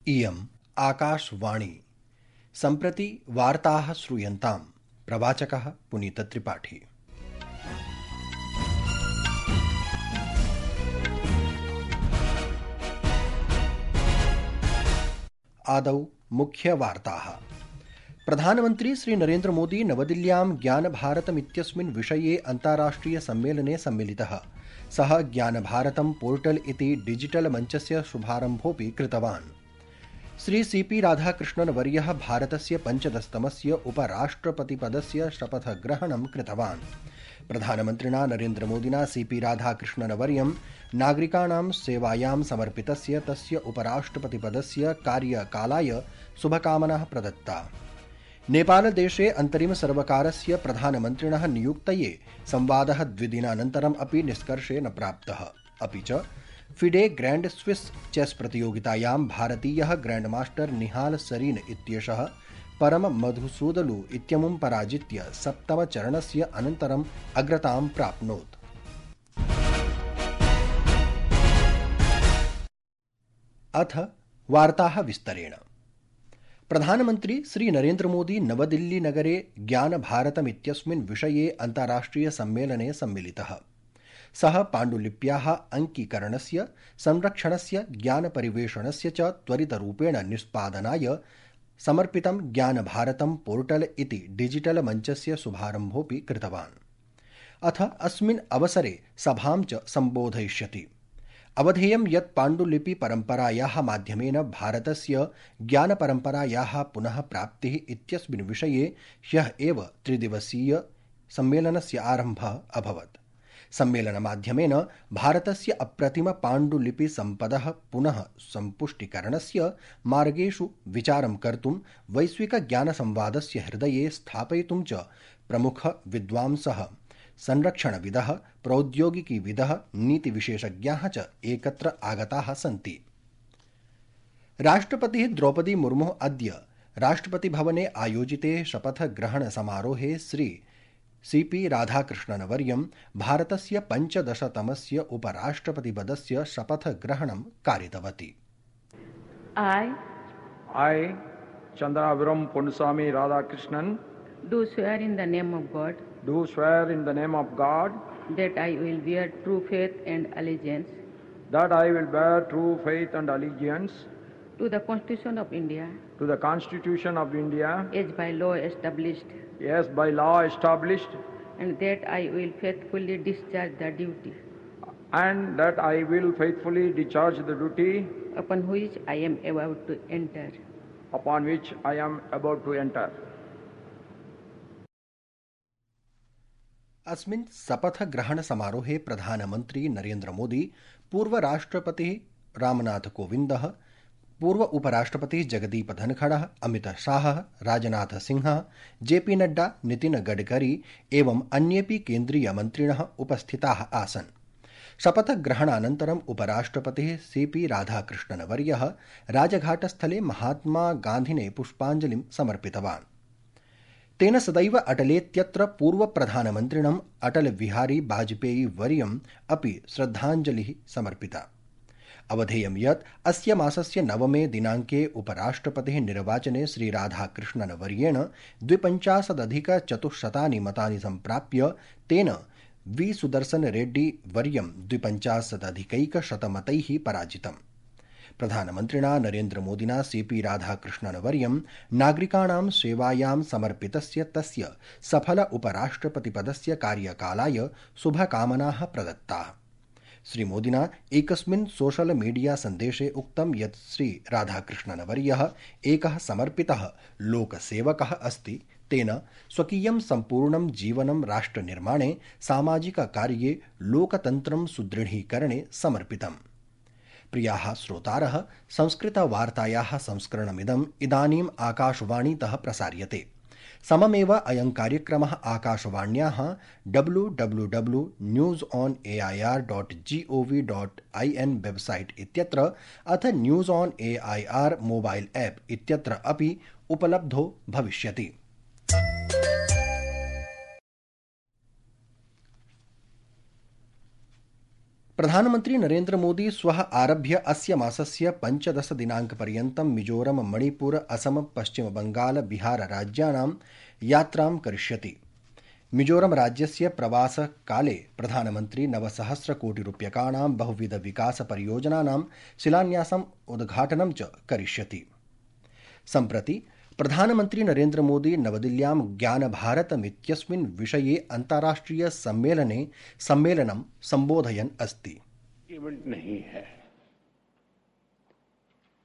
इयम् आकाशवाणी। सम्प्रति वार्ताः श्रूयन्ताम्। प्रवाचकः पुनीतत्रिपाठी। आदौ मुख्यवार्ताः। प्रधानमन्त्री श्री नरेन्द्र मोदी नवदिल्ल्यां ज्ञानभारतमित्यस्मिन् विषये अन्ताराष्ट्रिय सम्मेलने सम्मिलितः। सः ज्ञानभारतं पोर्टल इति डिजिटल मञ्चस्य शुभारम्भोऽपि कृतवान्। श्री सीपी राधाकृष्णनवर्यः भारतस्य 15तमस्य उपराष्ट्रपतिपदस्य शपथग्रहणं कृतवान्। प्रधानमन्त्रिणा नरेन्द्रमोदिना सीपी राधाकृष्णनवर्यं नागरिकाणां सेवायां समर्पितस्य तस्य उपराष्ट्रपतिपदस्य कार्यकालाय शुभकामनाः प्रदत्ता। नेपालदेशे अन्तरिमसर्वकारस्य प्रधानमन्त्रिणः नियुक्तये संवादः द्विदिनानन्तरम् अपि निष्कर्षे न प्राप्तः। अपि च फिडे ग्रैंड स्विस चेस प्रतियोगितायां भारतीयः ग्रैंडमास्टर निहाल सरीन इत्येषः परम मधुसूदलु इत्यमुं पराजित्य सप्तमचरणस्य अनन्तरम् अग्रतां प्राप्नोत्। अथ वार्ताः विस्तरेण। प्रधानमन्त्री श्री नरेन्द्र मोदी नवदिल्लीनगरे ज्ञानभारतमित्यस्मिन् विषये अन्ताराष्ट्रिय सम्मेलने सम्मिलितः। सः पाण्डुलिप्याः अङ्कीकरणस्य, संरक्षणस्य, ज्ञानपरिवेषणस्य च त्वरितरूपेण निष्पादनाय समर्पितं ज्ञानभारतं पोर्टल इति डिजिटल मञ्चस्य शुभारम्भोऽपि कृतवान्। अथ अस्मिन् अवसरे सभां च सम्बोधयिष्यति। अवधेयं यत् पाण्डुलिपि परम्परायाः माध्यमेन भारतस्य ज्ञानपरम्परायाः पुनः प्राप्तिः इत्यस्मिन् विषये ह्यः एव त्रिदिवसीय सम्मेलनस्य आरम्भः अभवत्। सम्मेलनमाध्यमेन भारतस्य अप्रतिम पाण्डुलिपिसम्पदः पुनः सम्पुष्टीकरणस्य मार्गेषु विचारं कर्तुं वैश्विकज्ञानसंवादस्य हृदये स्थापयितुं च प्रमुखविद्वांसः, संरक्षणविदः, प्रौद्योगिकीविदः, नीतिविशेषज्ञाः च एकत्र आगताः सन्ति। राष्ट्रपतिः द्रौपदी मुर्मुः अद्य राष्ट्रपतिभवने आयोजिते शपथग्रहणसमारोहे श्री सीपी राधाकृष्णनवर्यं भारतस्य 15तमस्य उपराष्ट्रपतिपदस्य शपथग्रहणं कारितवती। I, Chandraviram Ponnuswamy Radhakrishnan, do swear in the name of God do swear in the name of God that I will bear true faith and allegiance that I will bear true faith and allegiance to the Constitution of India to the Constitution of India as by law established, as by law established, and that I will faithfully discharge the duty and that I will faithfully discharge the duty upon which I am about to enter. upon which I am about to enter. अस्मिन् शपथग्रहणसमारोहे प्रधानमन्त्री नरेन्द्र मोदी, पूर्वराष्ट्रपतिः रामनाथ कोविन्दः, पूर्व उपराष्ट्रपतिः जगदीप धनखडः, अमित शाहः, राजनाथ सिंहः, JP Nadda, Nitin Gadkari एवं अन्येऽपि केन्द्रीयमन्त्रिणः उपस्थिताः आसन्। शपथग्रहणानन्तरम् उपराष्ट्रपतिः CP राधाकृष्णनवर्यः राजघाटस्थले महात्मा गान्धिने पुष्पाञ्जलिं समर्पितवान्। तेन सदैव अटलेत्यत्र पूर्वप्रधानमन्त्रिणम् अटल बिहारी वाजपेयी वर्यम् अपि श्रद्धाञ्जलिः समर्पिता। अवधेयं यत् अस्य मासस्य 9 दिनाङ्के उपराष्ट्रपतिः निर्वाचने श्री राधाकृष्णनवर्येण 52,400 मतानि सम्प्राप्य तेन वी सुदर्शन रेड्डी वर्यं 52,100 मतैः पराजितम्। प्रधानमन्त्रिणा नरेन्द्र मोदिना सीपी राधाकृष्णनवर्यं नागरिकाणां सेवायां समर्पितस्य तस्य सफल उपराष्ट्रपतिपदस्य कार्यकालाय शुभकामनाः प्रदत्ताः। श्रीमोदिना एकस्मिन् सोशल मीडिया सन्देशे उक्तं यत् श्री राधाकृष्णनवर्यः एकः समर्पितः लोकसेवकः अस्ति। तेन स्वकीयं सम्पूर्णं जीवनं राष्ट्रनिर्माणे, सामाजिककार्ये, लोकतन्त्रं सुदृढीकरणे समर्पितम्। प्रियाः श्रोतारः, संस्कृतवार्तायाः संस्करणमिदम् इदानीम् आकाशवाणीतः प्रसार्यते। सममेव अयं कार्यक्रमः आकाशवाण्याः www.newsonair.gov.in वेबसाइट इत्यत्र अथ news on AIR mobile app इत्यत्र अपि उपलब्धो भविष्यति। प्रधानमन्त्री नरेन्द्र मोदी श्वः आरभ्य अस्य मासस्य 15 दिनाङ्कपर्यन्तं मिजोरम मणिपुर असम पश्चिम बंगाल बिहार राज्यानां यात्रां करिष्यति। मिजोरम राज्यस्य प्रवासकाले प्रधानमन्त्री 9,सहस्रकोटिरूप्यकाणां बहुविध विकास परियोजनानां शिलान्यासम् उद्घाटनं च करिष्यति। सम्प्रति प्रधानमन्त्री नरेन्द्र मोदी नवदिल्ल्यां ज्ञानभारतमित्यस्मिन् विषये अन्ताराष्ट्रिय सम्मेलनं सम्बोधयन् अस्ति। इवेंट नहीं है,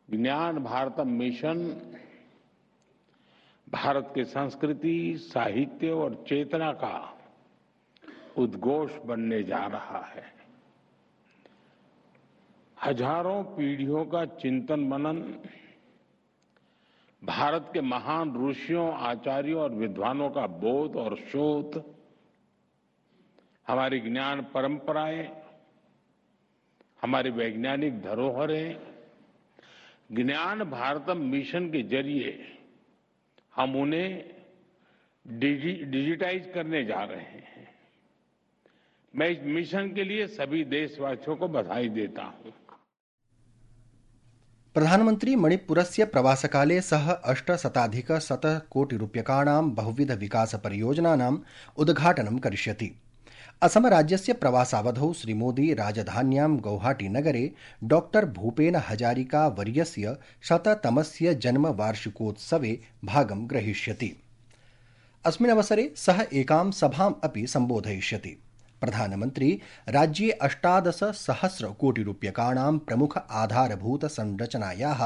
ज्ञान भारत मिशन भारत की संस्कृति, साहित्य और चेतना का उद्घोष बनने जा रहा है। हजारों पीढ़ियों का चिंतन मनन, भारत के महान ऋषियों, आचार्यों और विद्वानों का बोध और शोध, हमारी ज्ञान परंपराएं, हमारी वैज्ञानिक धरोहरें, ज्ञान भारतम मिशन के जरिए हम उन्हें डिजिटाइज करने जा रहे हैं। मैं इस मिशन के लिए सभी देशवासियों को बधाई देता हूं। प्रधानमन्त्री मणिपुरस्य प्रवासकाले सः 800 कोटिरूप्यकाणां बहुविध विकास परियोजनानाम् उद्घाटनं करिष्यति। असम राज्यस्य प्रवासावधौ श्रीमोदी राजधान्यां गौहाटी-नगरे डॉक्टर भूपेन हजारिका वर्यस्य 100तमस्य जन्मवार्षिकोत्सवे भागं ग्रहीष्यति। अस्मिन् अवसरे सः एकां सभाम् अपि सम्बोधयिष्यति। प्रधानमन्त्री राज्ये 18,000 कोटिरूप्यकाणां प्रमुख आधारभूत संरचनायाः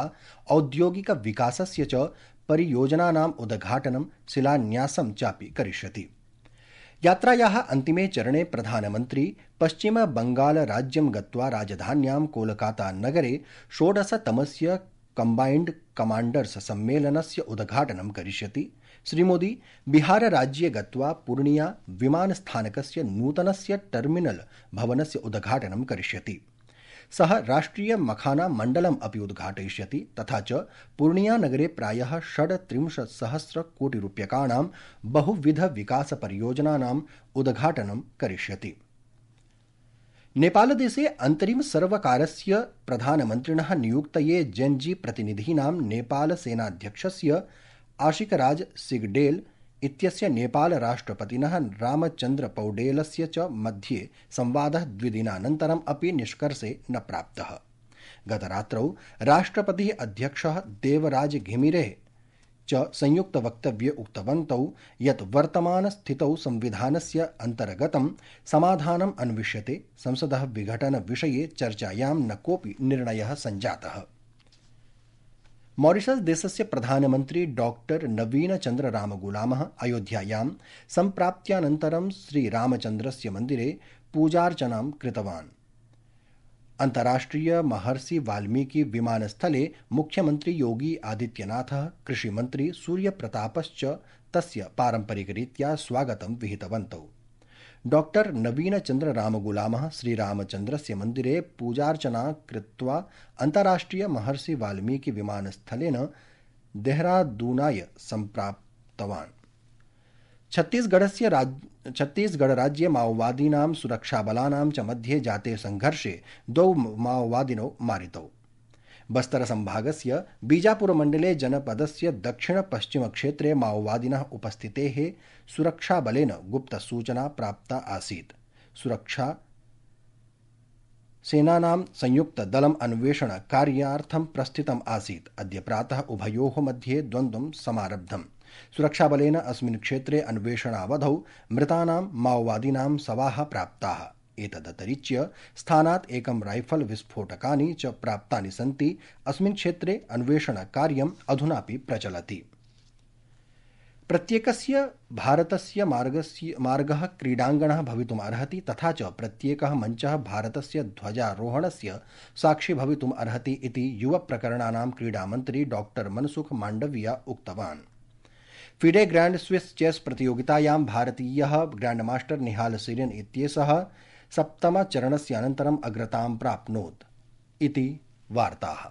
औद्योगिक विकासस्य च परियोजनानाम् उद्घाटनं शिलान्यासं चापि करिष्यति। यात्रायाः अन्तिमे चरणे प्रधानमन्त्री पश्चिम बंगाल राज्यं गत्वा राजधान्यां कोलकाता नगरे 16तमस्य कम्बाइन्ड कमाण्डर्स् सम्मेलनस्य उद्घाटनं करिष्यति। श्रीमोदी बिहार राज्ये गत्वा पूर्णिया विमानस्थानकस्य नूतनस्य टर्मिनल भवनस्य उद्घाटनं करिष्यति। सः राष्ट्रिय मखाना मण्डलम् अपि उद्घाटयिष्यति तथा च पूर्णिया नगरे प्रायः 37,000 कोटिरूप्यकाणां बहुविध विकास परियोजनानाम् उद्घाटनं करिष्यति। नेपालदेशे अन्तरिम सर्वकारस्य प्रधानमन्त्रिणः नियुक्तये जेन्जी प्रतिनिधीनां नेपाल सेनाध्यक्षस्य आशिकराज सिगडेल इत्यस्य नेपाल राष्ट्रपतिनः रामचन्द्र पौडेलस्य च मध्ये संवादः 2 दिनानन्तरम् अपि निष्कर्षे न प्राप्तः। गतरात्रौ राष्ट्रपतिः अध्यक्षः देवराज घिमिरेः च संयुक्तवक्तव्ये उक्तवन्तौ यत् वर्तमानस्थितौ संविधानस्य अन्तर्गतं समाधानम् अन्विष्यते, संसदः विघटनविषये चर्चायां न कोऽपि निर्णयः सञ्जातः। मॉरिशस देशस्य प्रधानमन्त्री डॉक्टर नवीन चन्द्र रामगुलामः अयोध्यायां सम्प्राप्त्यानन्तरं श्रीरामचन्द्रस्य मन्दिरे पूजार्चनां कृतवान्। अन्ताराष्ट्रिय महर्षि वाल्मीकि विमानस्थले मुख्यमन्त्री योगी आदित्यनाथः, कृषिमन्त्री सूर्यप्रतापश्च तस्य पारम्परिकरीत्या स्वागतं विहितवन्तौ। डॉक्टर नवीन चन्द्र रामगुलामः श्रीरामचन्द्रस्य मन्दिरे पूजार्चना कृत्वा अन्ताराष्ट्रिय महर्षि वाल्मीकि विमानस्थलेन देहरादूनाय सम्प्राप्तवान्। छत्तीसगढ़-राज्ये माओवादीनां सुरक्षाबलानां च मध्ये जाते संघर्षे 2 माओवादिनौ मारितौ। बस्तर संभागस्य बीजापुरमण्डले जनपदस्य दक्षिण-पश्चिमक्षेत्रे माओवादिनः उपस्थितेः सुरक्षाबलेन गुप्तसूचना प्राप्ता आसीत्। सुरक्षा सेनानां संयुक्तदलम् अन्वेषणकार्यार्थं प्रस्थितम् आसीत्। अद्य प्रातः उभयोः मध्ये द्वन्द्वं समारब्धम्। सुरक्षाबलेन अस्मिन् क्षेत्रे अन्वेषणावधौ मृतानां माओवादिनां शवाः प्राप्ताः। एतदतिरिच्य स्थानात् एकं राइफल विस्फोटकानि च प्राप्तानि सन्ति। अस्मिन् क्षेत्रे अन्वेषणकार्यम् अधुनापि प्रचलति। प्रत्येकस्य भारतस्य मार्गः क्रीडाङ्गणः भवितुम् अर्हति तथा च प्रत्येकः मञ्चः भारतस्य ध्वजारोहणस्य साक्षी भवितुम् अर्हति इति युवप्रकरणानां क्रीडामन्त्री डॉक्टर मनसुख माण्डविया उक्तवान्। फिडे ग्रैंड स्विस चेस प्रतियोगितायां भारतीयः ग्रैंडमास्टर निहाल सीरेन इत्येषः 7मचरणस्य अनन्तरम् अग्रतां प्राप्नोत् इति वार्ताः।